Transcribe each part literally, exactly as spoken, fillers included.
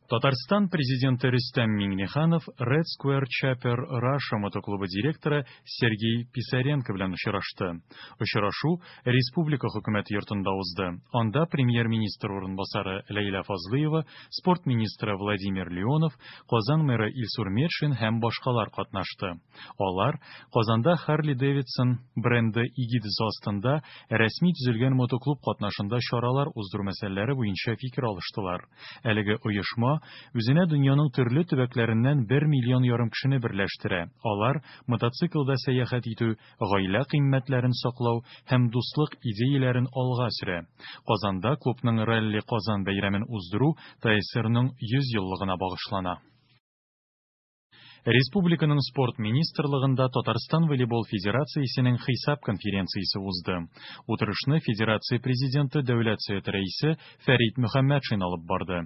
Татарстан Президенты Рөстәм Миңнеханов Red Square Chopper Russia мотоклубы директоры Сергей Писаренко белән очрашты. Очрашу республика Хөкүмәте йортында узды. Анда Премьер-министр урынбасары Ләйлә Фазлыева, спорт министры Владимир Леонов, Казан мэры Илсур Метшин һәм башкалар катнашты. Алар Казанда Harley-Davidson бренды эгидасы астында рәсми төзелгән мотоклуб катнашында чаралар уздыру мәсьәләләре буенча фикер алыштылар. Әлеге оешма үзенә дөньяның төрле төбәкләреннән бер миллион ярым кешене берләштерә. Алар мотоциклда сәяхәт итү, гаилә кыйммәтләрен саклау һәм дуслык идеяләрен алга сөрә. Казанда клубның Ралли Казан бәйрәмен уздыру ТАССРның йөз еллыгына багышлана. Республиканың спорт министрлыгында Татарстан волейбол федерациясенең хисап конференциясе узды. Утырышны федерация президенты, Дәүләт Советы рәисе Фәрит Мөхәммәтшин алып барды.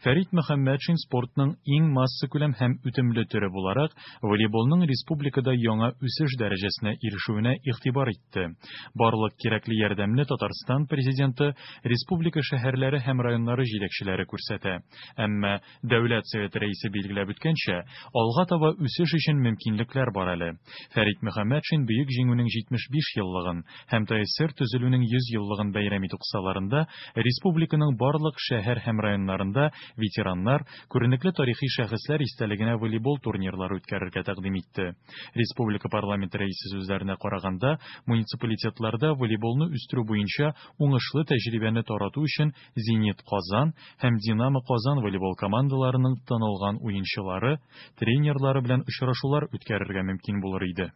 Фәрит Мөхәммәтшин спортның иң массакүләм һәм үтемле төре буларак волейболның республикада яңа үсеш дәрәҗәсенә ирешүенә игътибар итте. Барлык кирәкле ярдәмне Татарстан президенты, республика шәһәрләре һәм районнары җитәкчеләре күрсәтә. Әмма Дәүләт Советы рәисе билгеләп үткәнчә, алга таба үсеш өчен мөмкинлекләр бар әле. Фәрит Мөхәммәтшин Бөек Җиңүнең җитмеш биш еллыгын һәм ТАССР төзелүнең йөз еллыгын бәйрәм итү кысаларында республиканың барлык шәһәр һәм районнарында ветераннар, күренекле тарихи шәхесләр истәлегенә волейбол турнирлары үткәрергә тәкъдим итте. Республика парламенты рәисе сүзләренә караганда, муниципалитетларда волейболны үстерү буенча уңышлы тәҗрибәне тарату өчен Зенит Казан һәм Динамо Казан волейбол командаларының танылган уенчылары, тренерлары белән очрашулар үткәрергә мөмкин булыр иде.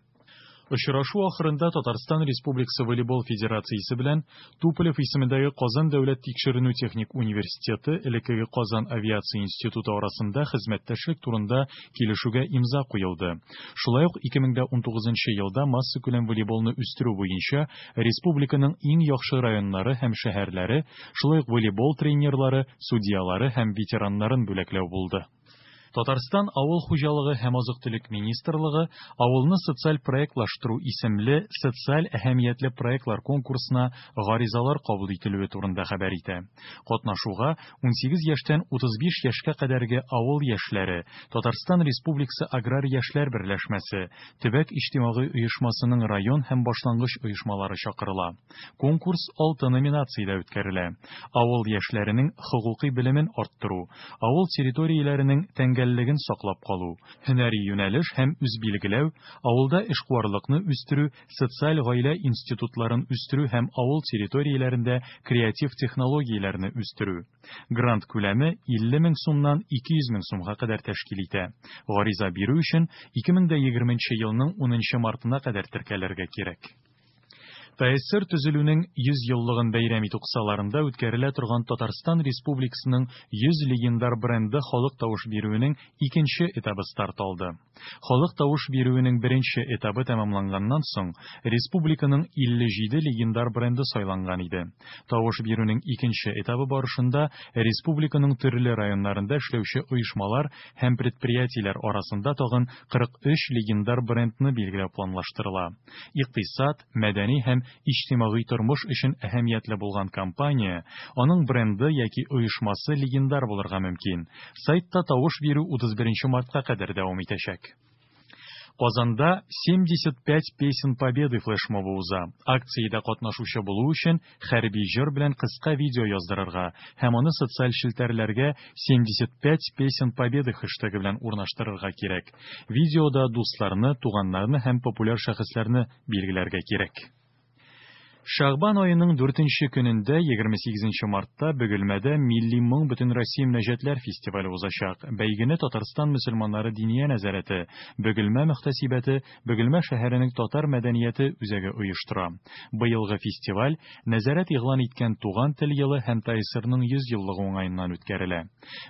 Очрашу ахырында Татарстан Республикасы волейбол федерациясе белән Туполев исемендәге Казан дәүләт тикшеренү техник университеты, элеккеге Казан авиация институты арасында хезмәттәшлек турында килешүгә имза куелды. Шулай ук ике мең дә унтугызынчы елда массакүләм волейболны үстерү буенча республиканың иң яхшы районнары һәм шәһәрләре, шулай ук волейбол тренерлары, судьялары һәм ветераннарын бүләкләү булды. Татарстан Авыл хуҗалыгы һәм азык-төлек министрлыгы Авылны социаль проектлаштыру исемле социаль әһәмиятле проектлар конкурсына гаризалар кабул ителүе турында хәбәр итә. Катнашуга унсигез яшьтән утыз биш яшькә кадәрге авыл яшьләре, Татарстан Республикасы Аграр яшьләр берләшмәсе, төбәк иҗтимагый оешмасының район һәм башлангыч оешмалары чакырыла. Конкурс алты номинациядә үткәрелә. Авыл яшьләренең хокукый белемен арттыру, авыл территорияләренең тәңгәллеген саклап калу, һөнәри юнәлеш һәм үзбилгеләү, авылда эшкуарлыкны үстерү, социаль гаилә институтларын үстерү һәм авыл территорияләрендә креатив технологияләрне үстерү. Грант күләме илле мең сумнан ике йөз мең сумга кадәр тәшкил итә. Гариза бирү өчен ике мең дә егерменче елның унынчы мартына кадәр теркәлергә кирәк. ТАССР төзелүнең йөз еллыгын бәйрәм итү кысаларында үткәрелә торган Татарстан Республикасының йөз легендар бренды халык тавыш бирүенең икенче этабы старт алды. Халык тавыш бирүенең беренче этабы тәмамланганнан соң республиканың илле җиде легендар бренды сайланган иде. Тавыш бирүнең икенче этабы барышында республиканың төрле районнарында эшләүче оешмалар һәм предприятиеләр арасында тагын кырык өч легендар брендны билгеләү планлаштырыла. Икътисад, мәдәни һәм иҗтимагый тормыш өчен әһәмиятле булган компания, аның бренды яки оешмасы легендар булырга мөмкин. Сайтта тавыш бирү утыз беренче мартка кадәр дәвам итәчәк. Казанда семьдесят пять песен Победы флешмобы уза. Акциядә катнашучы булу өчен хәрби җыр белән кыска видео яздырырга һәм аны социаль челтәрләргә семьдесят пять песен Победы хэштегы белән урнаштырырга кирәк. Видеода дусларны, туганнарны һәм популяр шәхесләрне билгеләргә кирәк. Шәгъбан аеның дүртенче көнендә, егерме сигезенче мартта Бөгелмәдә Милли моң Бөтенроссия мөнәҗәтләр фестивале узачак. Бәйгене Татарстан мөселманнары диния нәзарәте, Бөгелмә мөхтәсибәте, Бөгелмә шәһәренең татар мәдәнияте үзәге оештыра. Быелгы фестиваль нәзарәт игълан иткән Туган тел елы һәм ТАССРның йөз еллыгы уңаеннан үткәрелә.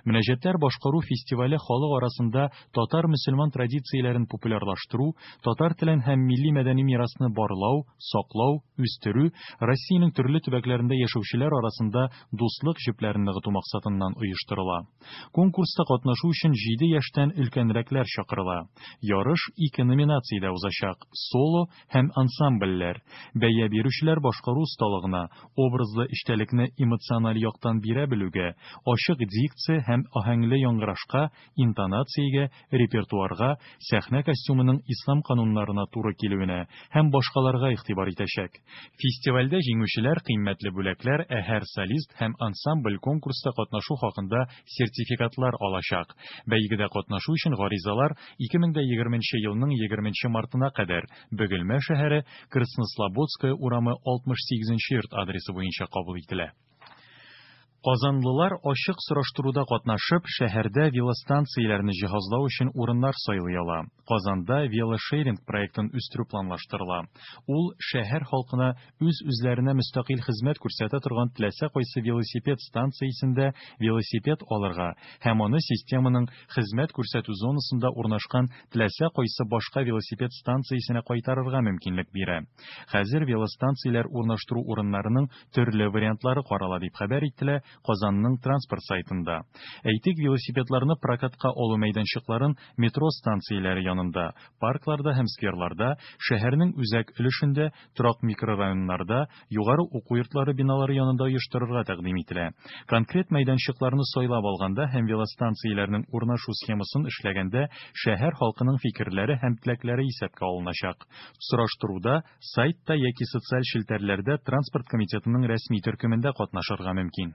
Мөнәҗәтләр башкару фестивале халык арасында татар мөселман традицияләрен популярлаштыру, татар телен һәм милли мәдәни мирасны барлау, саклау, үстерү үстерү, Россиянең төрле төбәкләрендә яшәүчеләр арасында дуслык җепләрен ныгыту максатыннан оештырыла. Конкурста катнашу өчен җиде яшьтән өлкәнрәкләр чакырыла. Ярыш ике номинациядә узачак: соло һәм ансамбльләр. Бәя бирүчеләр башкару осталыгына, образлы эчтәлекне эмоциональ яктан бирә белүгә, ачык дикция һәм аһәңле яңгырашка, интонациягә, репертуарга, сәхнә костюмының ислам кануннарына туры килүенә һәм башкаларга игътибар итәчәк. Фестивальдә җиңүчеләр кыйммәтле бүләкләр, ә һәр солист һәм ансамбль конкурста катнашу хакында сертификатлар алачак. Бәйгедә катнашу өчен гаризалар ике мең дә егерменче елның егерменче мартына кадәр Бөгелмә шәһәре, Краснослободская урамы алтмыш сигезенче йорт адресы буенча кабул ителә. Казанлылар ачык сораштыруда катнашып, шәһәрдә велостанцияләрне җиһазлау өчен урыннар сайлый ала. Казанда велошеринг проектын үстерү планлаштырыла. Ул шәһәр халкына үз-үзләренә мөстәкыйль хезмәт күрсәтә торган теләсә кайсы велосипед станциясендә велосипед алырга һәм аны системаның хезмәт күрсәтү зонасында урнашкан теләсә кайсы башка велосипед станциясенә кайтарырга мөмкинлек бирә. Хәзер велостанцияләр урнаштыру урыннарының төрле вариантлары карала, дип хәбәр ителә Казанның транспорт сайтында. Әйтик, велосипедларны прокатка алу мәйданчыкларын метро станцияләре янында, паркларда һәм скверларда, шәһәрнең үзәк өлешендә, торак микрорайоннарда, югары уку йортлары биналары янында оештырырга тәкъдим ителә. Конкрет мәйданчыкларны сайлап алганда һәм велостанцияләрнең урнашу схемасын эшләгәндә шәһәр халкының фикерләре һәм теләкләре исәпкә алыначак. Сораштыруда сайтта яки социаль челтәрләрдә транспорт комитетының рәсми төркемендә катнашырга мөмкин.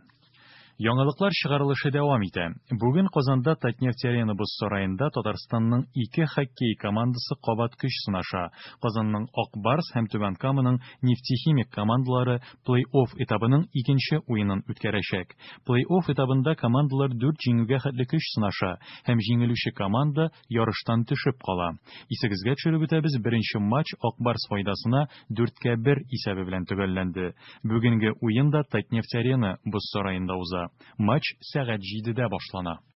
Яңалыклар чыгарылышы дәвам итә. Бүген Казанда Татнефть-Арена боз сараенда Татарстанның ике хоккей командасы кабат көч сынаша. Казанның Ак Барс һәм Түбән Каманың Нефтехимик командалары плей-офф этабының икенче уенын үткәрәчәк. Плей-офф этабында командалар дүрт җиңүгә хәтле көч сынаша һәм җиңелүче команда ярыштан төшеп кала. Исегезгә төшереп үтәбез, беренче матч Ак Барс файдасына дүрткә бер исәбе белән төгәлләнде. Бүгенге уен да Татнефть-Арена боз сараенда уза. Матч сәгать җидедә башлана.